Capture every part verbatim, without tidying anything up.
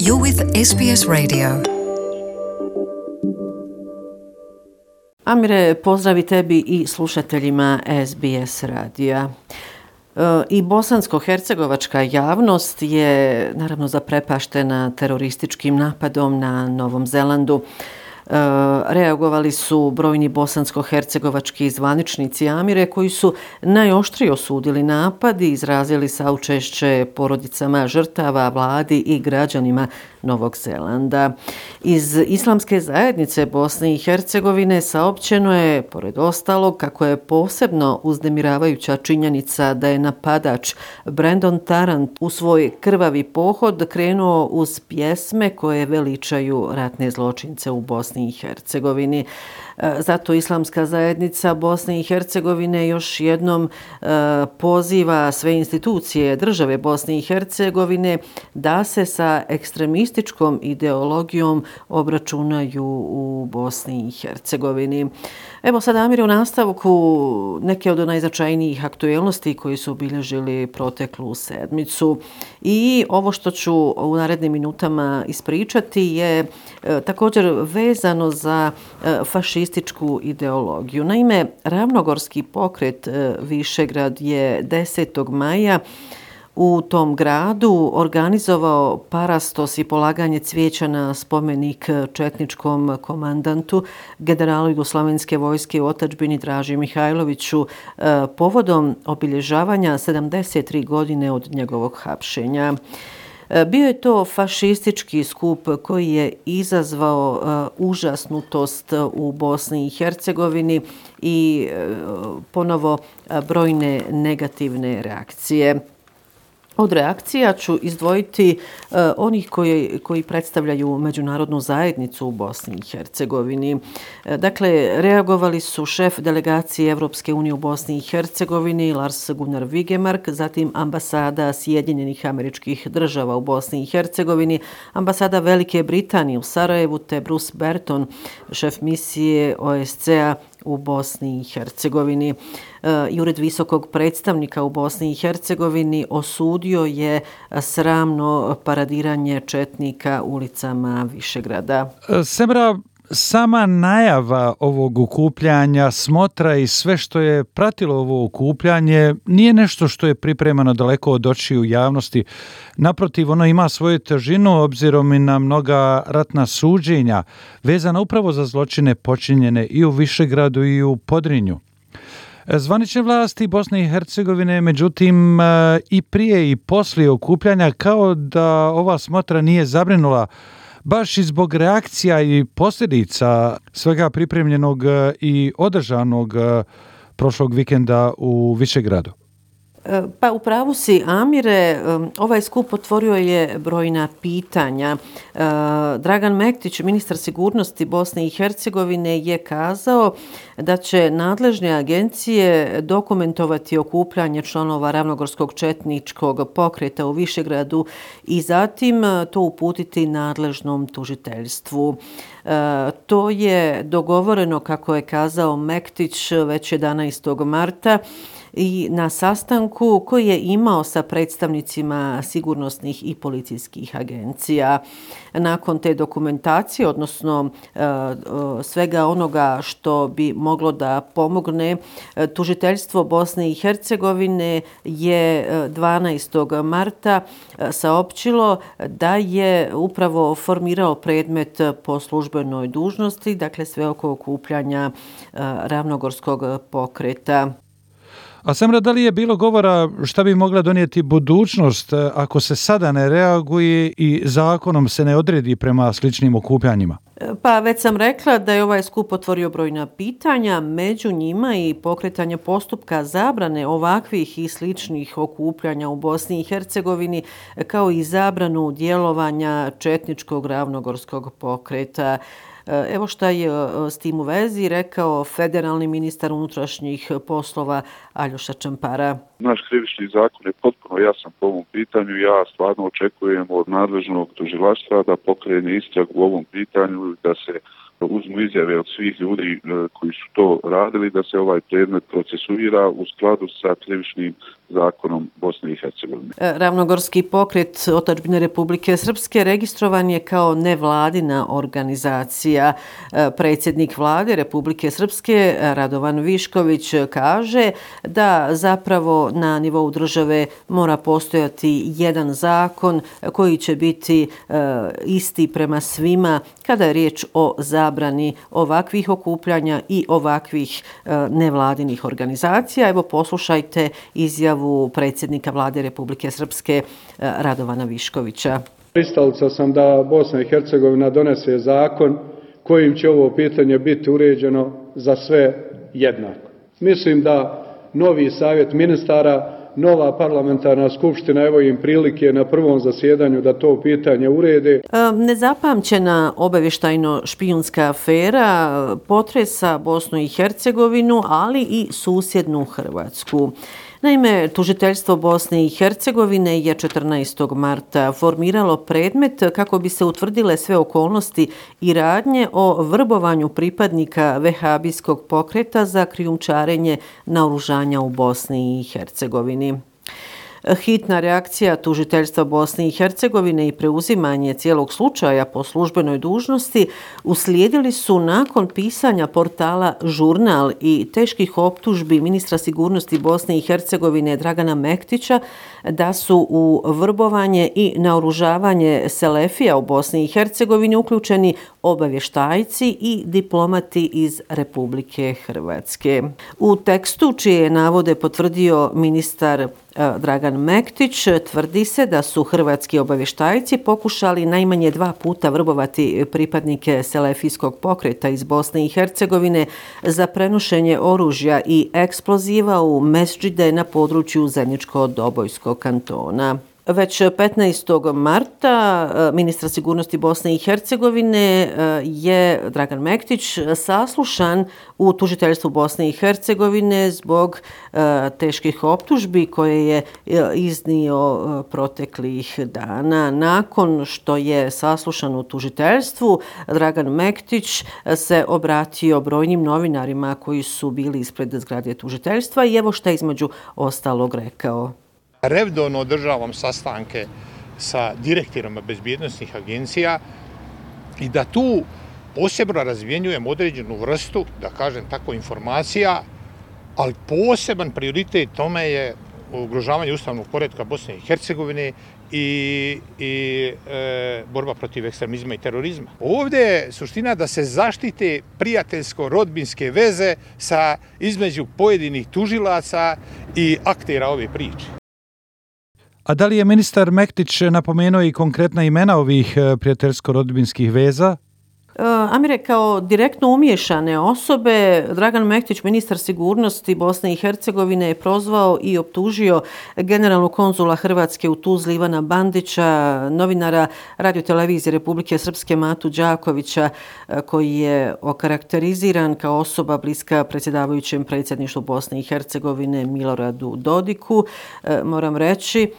You're with S B S Radio. Amire, pozdravi tebi i slušateljima S B S radija. I bosansko-hercegovačka javnost je naravno zaprepaštena terorističkim napadom na Novom Zelandu. Reagovali su brojni bosansko-hercegovački zvaničnici, Amire, koji su najoštrije osudili napad i izrazili saučešće porodicama žrtava, vladi i građanima Novog Zelanda. Iz Islamske zajednice Bosne i Hercegovine saopćeno je, pored ostalog, kako je posebno uznemiravajuća činjenica da je napadač Brandon Tarrant u svoj krvavi pohod krenuo uz pjesme koje veličaju ratne zločince u Bosni i Hercegovini. Zato Islamska zajednica Bosne i Hercegovine još jednom poziva sve institucije države Bosne i Hercegovine da se sa ekstremističkom ideologijom obračunaju u Bosni i Hercegovini. Evo sad, Amir, u nastavku neke od najznačajnijih aktuelnosti koji su obilježili proteklu sedmicu. I ovo što ću u narednim minutama ispričati je e, također vezano za e, fašističku ideologiju. Naime, Ravnogorski pokret e, Višegrad je desetog maja u tom gradu organizovao parastos i polaganje cvijeća na spomenik četničkom komandantu, generalu Jugoslavenske vojske u otadžbini Draži Mihajloviću, povodom obilježavanja sedamdeset tri godine od njegovog hapšenja. Bio je to fašistički skup koji je izazvao uh, užasnutost u Bosni i Hercegovini i uh, ponovo uh, brojne negativne reakcije. Od reakcija ću izdvojiti uh, onih koji, koji predstavljaju međunarodnu zajednicu u Bosni i Hercegovini. Uh, dakle, reagovali su šef delegacije Evropske unije u Bosni i Hercegovini Lars Gunnar Vigemark, zatim ambasada Sjedinjenih Američkih Država u Bosni i Hercegovini, ambasada Velike Britanije u Sarajevu te Bruce Berton, šef misije O S C A u Bosni i Hercegovini. I Ured visokog predstavnika u Bosni i Hercegovini osudio je sramno paradiranje četnika ulicama Višegrada. Semra, sama najava ovog okupljanja, smotra i sve što je pratilo ovo okupljanje nije nešto što je pripremano daleko od očiju javnosti. Naprotiv, ono ima svoju težinu obzirom i na mnoga ratna suđenja vezana upravo za zločine počinjene i u Višegradu i u Podrinju. Zvanične vlasti Bosne i Hercegovine, međutim, i prije i poslije okupljanja, kao da ova smotra nije zabrinula baš i zbog reakcija i posljedica svega pripremljenog i održanog prošlog vikenda u Višegradu. Pa upravo si, Amire, ovaj skup otvorio je brojna pitanja. Dragan Mektić, ministar sigurnosti Bosne i Hercegovine, je kazao da će nadležne agencije dokumentovati okupljanje članova Ravnogorskog četničkog pokreta u Višegradu i zatim to uputiti nadležnom tužiteljstvu. To je dogovoreno, kako je kazao Mektić, već jedanaestog marta i na sastanku koji je imao sa predstavnicima sigurnosnih i policijskih agencija. Nakon te dokumentacije, odnosno svega onoga što bi moglo da pomogne, tužiteljstvo Bosne i Hercegovine je dvanaestog marta saopćilo da je upravo formirao predmet po službenoj dužnosti, dakle sve oko okupljanja Ravnogorskog pokreta. A Semra, da li je bilo govora šta bi mogla donijeti budućnost ako se sada ne reaguje i zakonom se ne odredi prema sličnim okupljanjima? Pa već sam rekla da je ovaj skup otvorio brojna pitanja, među njima i pokretanje postupka zabrane ovakvih i sličnih okupljanja u Bosni i Hercegovini, kao i zabranu djelovanja četničkog Ravnogorskog pokreta. Evo šta je s tim u vezi rekao federalni ministar unutrašnjih poslova Aljoša Čampara. Naš krivični zakon je potpuno jasan po ovom pitanju. Ja stvarno očekujem od nadležnog tužilaštva da pokrene istragu u ovom pitanju, da se uzmu izjave od svih ljudi koji su to radili, da se ovaj predmet procesuira u skladu sa krivičnim zakonom Bosne i Hercegovine. Ravnogorski pokret Otadžbine Republike Srpske registrovan je kao nevladina organizacija. Predsjednik vlade Republike Srpske Radovan Višković kaže da zapravo na nivou države mora postojati jedan zakon koji će biti e, isti prema svima kada je riječ o zabrani ovakvih okupljanja i ovakvih e, nevladinih organizacija. Evo poslušajte izjavu predsjednika vlade Republike Srpske e, Radovana Viškovića. Pristalica sam da Bosna i Hercegovina donese zakon kojim će ovo pitanje biti uređeno za sve jednako. Mislim da novi savjet ministara, nova parlamentarna skupština, evo im prilike na prvom zasjedanju da to pitanje urede. Nezapamćena obavještajno-špijunska afera potresa Bosnu i Hercegovinu, ali i susjednu Hrvatsku. Naime, tužiteljstvo Bosne i Hercegovine je četrnaestog marta formiralo predmet kako bi se utvrdile sve okolnosti i radnje o vrbovanju pripadnika vehabijskog pokreta za krijumčarenje naoružanja u Bosni i Hercegovini. Hitna reakcija tužiteljstva Bosne i Hercegovine i preuzimanje cijelog slučaja po službenoj dužnosti uslijedili su nakon pisanja portala Žurnal i teških optužbi ministra sigurnosti Bosne i Hercegovine Dragana Mektića da su u vrbovanje i naoružavanje selefija u Bosni i Hercegovini uključeni obavještajci i diplomati iz Republike Hrvatske. U tekstu čije navode potvrdio ministar Dragan Mektić tvrdi se da su hrvatski obavještajci pokušali najmanje dva puta vrbovati pripadnike selefijskog pokreta iz Bosne i Hercegovine za prenošenje oružja i eksploziva u mesdžide na području Zeničko-Dobojskog kantona. Već petnaestog marta ministra sigurnosti Bosne i Hercegovine je Dragan Mektić saslušan u tužiteljstvu Bosne i Hercegovine zbog teških optužbi koje je iznio proteklih dana. Nakon što je saslušan u tužiteljstvu, Dragan Mektić se obratio brojnim novinarima koji su bili ispred zgrade tužiteljstva i evo šta je između ostalog rekao. Redovno održavam sastanke sa direktorima bezbjednosnih agencija i da tu posebno razmjenjujem određenu vrstu, da kažem tako, informacija, ali poseban prioritet tome je ugrožavanje ustavnog poretka Bosne i Hercegovine i, i e, borba protiv ekstremizma i terorizma. Ovdje je suština da se zaštite prijateljsko-rodbinske veze sa između pojedinih tužilaca i aktera ove priče. A da li je ministar Mektić napomenuo i konkretna imena ovih prijateljsko-rodbinskih veza? Amire, kao direktno umiješane osobe, Dragan Mektić, ministar sigurnosti Bosne i Hercegovine, je prozvao i optužio generalnog konzula Hrvatske u Tuzli Ivana Bandića, novinara radiotelevizije Republike Srpske Matu Đakovića, koji je okarakteriziran kao osoba bliska predsjedavajućem predsjedništvu Bosne i Hercegovine Miloradu Dodiku. Moram reći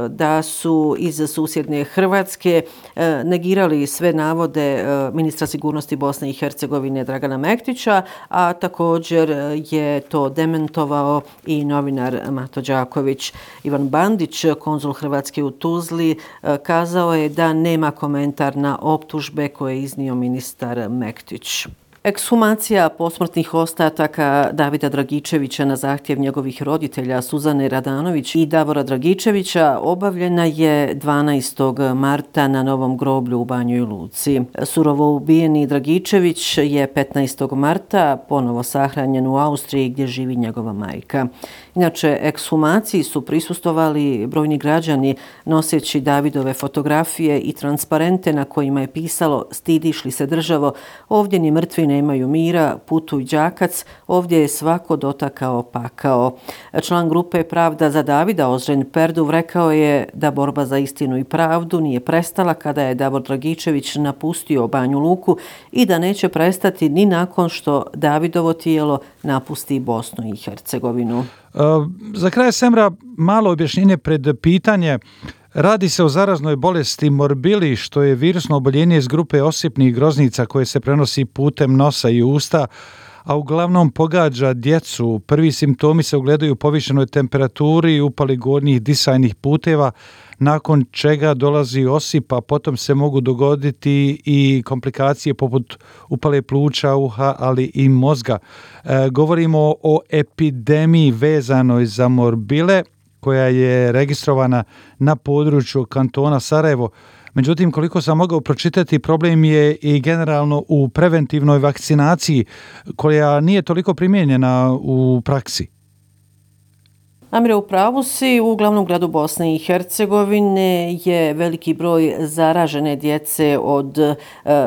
da su iz susjedne Hrvatske negirali sve navode ministra sigurnosti Bosne i Hercegovine Dragana Mektića, a također je to dementovao i novinar Mato Đaković. Ivan Bandić, konzul Hrvatske u Tuzli, kazao je da nema komentar na optužbe koje je iznio ministar Mektić. Ekshumacija posmrtnih ostataka Davida Dragičevića na zahtjev njegovih roditelja Suzane Radanović i Davora Dragičevića obavljena je dvanaestog marta na Novom groblju u Banjoj Luci. Surovo ubijeni Dragičević je petnaestog marta ponovo sahranjen u Austriji gdje živi njegova majka. Inače, ekshumaciji su prisustvovali brojni građani noseći Davidove fotografije i transparente na kojima je pisalo "Stidiš li se državo, ovdje ni mrtvi nemaju mira, putuj đakac, ovdje je svako dotakao pakao." Član grupe Pravda za Davida Ozren Perduv rekao je da borba za istinu i pravdu nije prestala kada je Davor Dragičević napustio Banju Luku i da neće prestati ni nakon što Davidovo tijelo napusti Bosnu i Hercegovinu. Za kraj, Semra, malo objašnjenje pred pitanje. Radi se o zaraznoj bolesti morbili, što je virusno oboljenje iz grupe osipnih groznica koje se prenosi putem nosa i usta, a uglavnom pogađa djecu. Prvi simptomi se ogledaju u povišenoj temperaturi i upali gornjih disajnih puteva, nakon čega dolazi osip, a potom se mogu dogoditi i komplikacije poput upale pluća, uha, ali i mozga. E, govorimo o epidemiji vezanoj za morbile, koja je registrovana na području kantona Sarajevo. Međutim, koliko sam mogao pročitati, problem je i generalno u preventivnoj vakcinaciji, koja nije toliko primijenjena u praksi. Amire, u pravu si, u glavnom gradu Bosne i Hercegovine je veliki broj zaražene djece od e,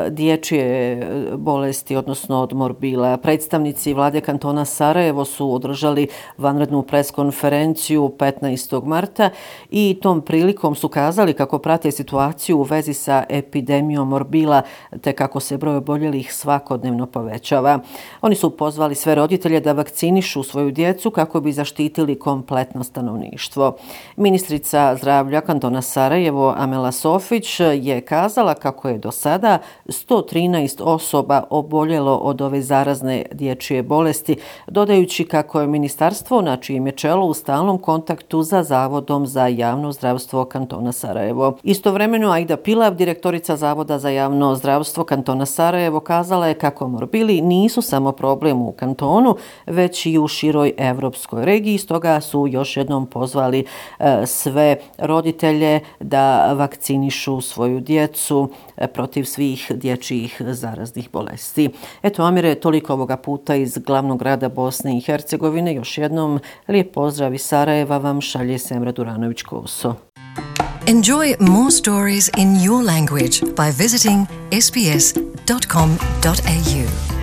dječje bolesti, odnosno od morbila. Predstavnici vlade kantona Sarajevo su održali vanrednu preskonferenciju petnaestog marta i tom prilikom su kazali kako prate situaciju u vezi sa epidemijom morbila te kako se broj oboljelih svakodnevno povećava. Oni su pozvali sve roditelje da vakcinišu svoju djecu kako bi zaštitili kompletno stanovništvo. Ministrica zdravlja kantona Sarajevo Amela Sofić je kazala kako je do sada sto trinaest osoba oboljelo od ove zarazne dječje bolesti, dodajući kako je ministarstvo na čijem je čelu u stalnom kontaktu za Zavodom za javno zdravstvo kantona Sarajevo. Istovremeno Aida Pilav, direktorica Zavoda za javno zdravstvo kantona Sarajevo, kazala je kako morbili nisu samo problem u kantonu, već i u široj evropskoj regiji, stoga su još jednom pozvali e, sve roditelje da vakcinišu svoju djecu e, protiv svih dječjih zaraznih bolesti. Eto, Amire, toliko ovoga puta iz glavnog grada Bosne i Hercegovine. Još jednom lijep pozdrav iz Sarajeva vam šalje Semra Duranović-Koso. Enjoy more stories in your language by visiting s b s dot com dot a u.